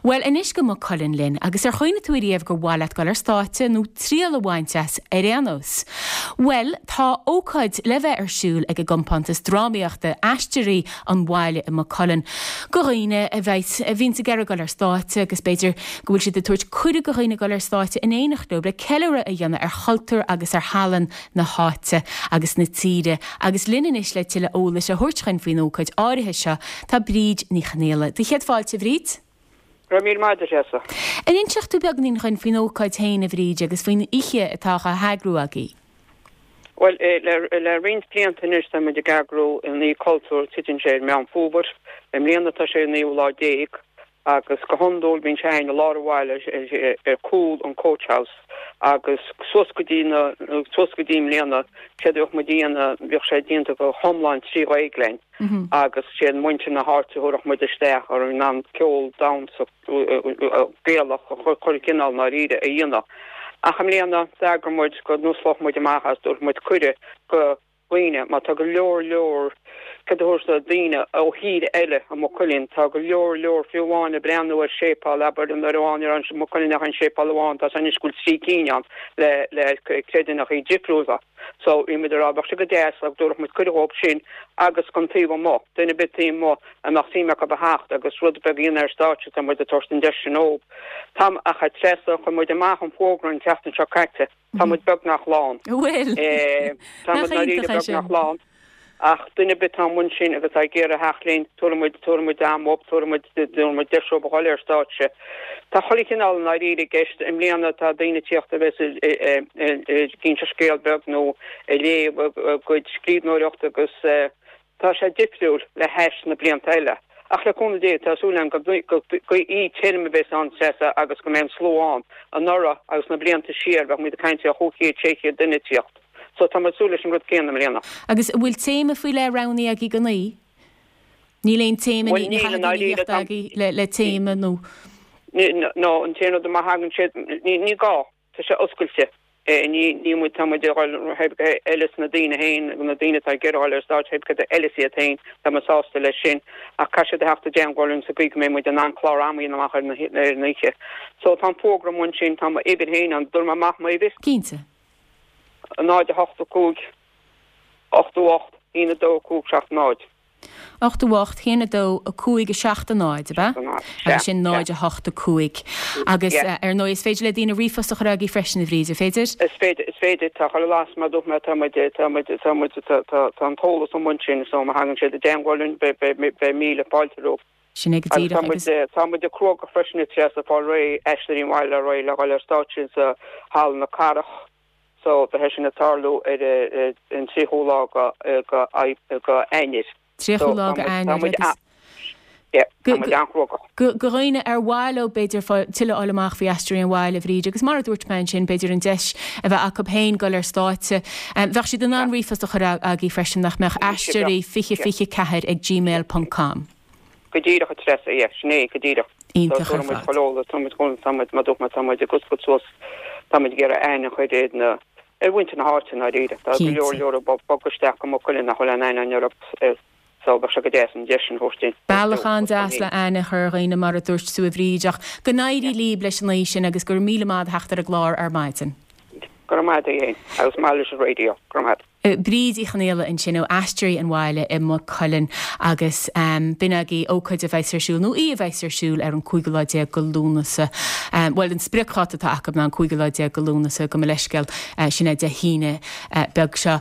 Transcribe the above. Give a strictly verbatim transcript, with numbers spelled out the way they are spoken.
Bhuel, anois go Maigh Cuilinn linn, agus ar chuimhnigh tú riamh gur mhaith leat dul ar stáitse nó triail a bhaint as ar aon nós? Bhuel, tá ócáid le bheith ar siúl ag an gcompántas drámaíochta Aisteoirí an Bhaile i Maigh Cuilinn go dhaoine a bheith a bhíonns ag iarraidh dul ar stáitse agus b'fhéidir go bhfuil siad ag tabhairt cuireadh go dhaoine dul ar stáitse in éineacht leo le ceiliúradh a dhéanamh ar chultúr agus ar thallann na háite agus na tíre agus linn anois le tuilleadh eolais a thabhairt dúinn faoin ócáid áirithe seo tá Bríd Ní Chonaola. Do chéad fáilte Bhríd? Go raibh míle maith agat Treasa. An inseoidh tú beagáinín dúinn faoin ócáid féin a Bhríd agus faoin oíche atá á heagrú agaibh. Well eh, le, le roinnt blianta anois tá muid ag eagrú an oíche cultúr titeann sé ar Meán Fómhair, i mbliana tá sé naoú lá déag agus go hiondúil bíonn sé i lár an bhaile ar cúl an Coach House agus suas go dtí na suas go dtí mbliana sé bheadh muid déanamh bheadh sé déanta go hiomlán trí Ghaeilge mm -hmm. agus sé muintir na háite a muid isteach ar an an ceol damhsa Gaelach chun cineál náiríre a dhéanamh. Ach i mbliana d'eagraigh muid go n-osclódh muid amach as dúirt muid cuireadh go dhaoine má tá go leor leor cad daoine ó thír eile i Maigh Cuilinn tá go leor leor fiú amháin ag breathnú ar séipéal abair an amháin ar an Maigh Cuilinn an séipéal amháin tá san scoil trí cinn ann le le creidiúnachaí difriúla. So bhí muid rá sé go deas ag dúirt muid cuireadh sin agus chun taobh amuigh duine ar bith amuigh a mbeadh suim acu a theacht agus rud beag a dhéanamh ar stáitse tá muid ag tabhairt an deis sin dóibh. Tam ach a Treasa chuir muid amach an fógra an tseachtain seo caite Tá muid beagnach lán. Bhfuil Tá beagnach lán. Ach duine ar bith amuigh ansin agus ag iarraidh theacht linn tuamuid tuamuid amop tuamuid tuamuid deisó bháil ar stáitse. Tá chuile chineál i gceist i mbliana tá daoine ag teacht a bheith ag inse scéal beag nó ag léamh a gcuid scríbhneoireacht agus tá sé difriúil le hais na blianta eile. Ach le cúnamh Dé tá súil go í tirim a bheith an Treasa agus go mbeidh an slua ann anuraidh agus na blianta siar bheadh muid ag caint ar chúig chéad sé chéad duine ag teacht. So tá súil leis an rud céanna i mbliana. Agus bhfuil téama faoi leith roghnaithe agaibh don oíche? Níl aon téama agaibh le le téama nó? No an téama má thagann sé ní gá Tá sé oscailte. ní ní muid tá muid eile na daoine féin na daoine tá geráil ar stáit eile siad féin tá muid sásta leis sin ach caithfidh siad theacht i dteagmháil sa gcaoi go mbeidh muid in ann clár ama amach ar na oíche. So tá fógra ansin tá m'uimhir féin an dúr amach m'uimhir? Cinnte. náid a hocht a cúig ocht ocht aon a dó cúig seacht náid. ocht ocht haon a dó a cúig a seacht a náid, be? Agus sin náid a hocht a cúig. Agus ar ndóigh is féidir le daoine ríomhphost a chur agaibh freisin a Bhríd, féidir? Is féidir is féidir tá chu las mar dú tá tá tá tá an t-eolas ansin so má thagann siad i dteagmháil be míle fáilte rompu. Sin é go díreach agus Tá muid cruógach freisin Treasa fáil réidh Aisteoirí an Bhaile réidh le dhul ar stáitse sa Halla na Cathrach so beidh sin ag tarlú ar an tríochú lá go go Eanáir. Tríochú lá Eanáir Go go dhaoine ar mhaith leo b'fhéidir tuilleadh a fháil amach faoi Aisteoirí an Bhaile Bhríd agus mar a dúirt mé ansin b'fhéidir an deis a bheith acu féin dul ar stáitse. Bheadh siad in ann ríomhphost a chur agaibh freisin nach mbeadh aisteoirí fiche fiche ceathair ag gmail ponc com. Go díreach a Treasa é sin é go díreach. Iontach ar fad. Tá Tá muid ag iarraidh aithne a chur ar na ar mhuintir na háite ndáiríre. Tá go leor leor ag bogadh isteach go Maigh Cuilinn nach bhfuil aon aithne orthu so bheadh sé go deas an deis sin a thabhairt dúinn. Bealach an-deas le aithne a chur ar dhaoine mar a dúirt tú a Bhríd ach go n-éirí libh leis an oíche sin agus go raibh míle maith agat theacht ar an gclár ar maidin. Go raibh maith agat féin agus maith leis an raidió. Go raibh maith. Bríd Uí Chonaola ansin ó Aisteoirí an Bhaile i Maigh Cuilinn agus b'in agaibh ócáid a bheas ar siúl nó oíche a bheas ar siúl ar an cúigiú lá déag go Lúnasa. Bhuel an spriocdháta atá acu ná an cúigiú lá déag go Lúnasa gabh mo leithscéal sin é Dé hAoine beag seo.